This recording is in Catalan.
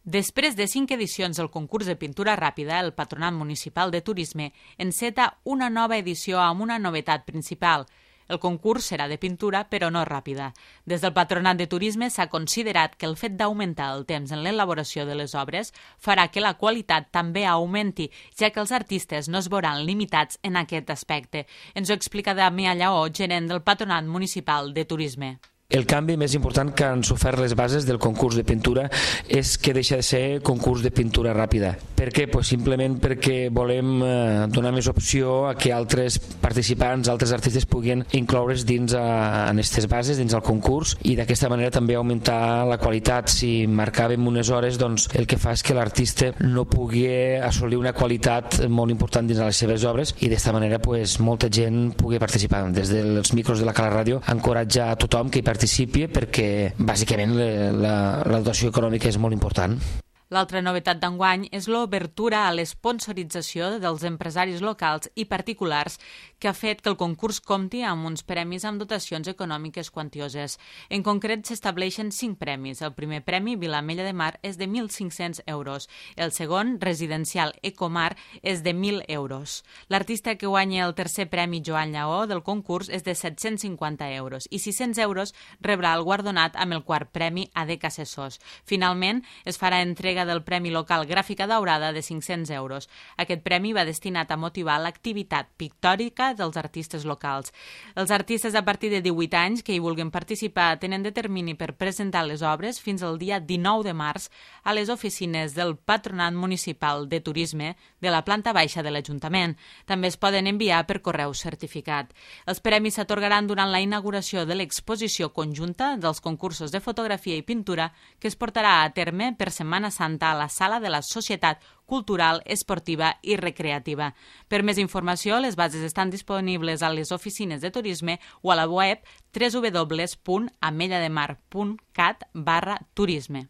Després de 5 edicions del concurs de pintura ràpida, el Patronat Municipal de Turisme enceta una nova edició amb una novetat principal. El concurs serà de pintura, però no ràpida. Des del Patronat de Turisme s'ha considerat que el fet d'augmentar el temps en l'elaboració de les obres farà que la qualitat també augmenti, ja que els artistes no es veuran limitats en aquest aspecte. Ens ho explica Damià Lleó, gerent del Patronat Municipal de Turisme. El canvi més important que han sofert les bases del concurs de pintura és que deixa de ser concurs de pintura ràpida. Per què? Pues simplement perquè volem donar més opció a que altres participants, altres artistes puguin incloure's dins en aquestes bases, dins el concurs, i d'aquesta manera també augmentar la qualitat. Si marcàvem unes hores, doncs el que fa és que l'artista no pugui assolir una qualitat molt important dins de les seves obres, i d'aquesta manera pues, molta gent pugui participar. Des dels micros de la Cala Ràdio encoratja a tothom que hi participi, perquè bàsicament la dotació econòmica és molt important. L'altra novetat d'enguany és l'obertura a l'esponsorització dels empresaris locals i particulars, que ha fet que el concurs compti amb uns premis amb dotacions econòmiques quantioses. En concret, s'estableixen 5 premis. El primer premi, Vilamella de Mar, és de 1.500 euros. El segon, Residencial Ecomar, és de 1.000 euros. L'artista que guanya el tercer premi, Joan Lleó, del concurs, és de 750 euros. I 600 euros rebrà el guardonat amb el quart premi, ADEC Assessors. Finalment, es farà entrega del Premi Local Gràfica Daurada de 500 euros. Aquest premi va destinat a motivar l'activitat pictòrica dels artistes locals. Els artistes a partir de 18 anys que hi vulguin participar tenen de termini per presentar les obres fins al dia 19 de març a les oficines del Patronat Municipal de Turisme de la planta baixa de l'Ajuntament. També es poden enviar per correu certificat. Els premis s'atorgaran durant la inauguració de l'exposició conjunta dels concursos de fotografia i pintura que es portarà a terme per Setmana Santa a la Sala de la Societat Cultural, Esportiva i Recreativa. Per més informació, les bases estan disponibles a les oficines de turisme o a la web www.amellademar.cat/turisme.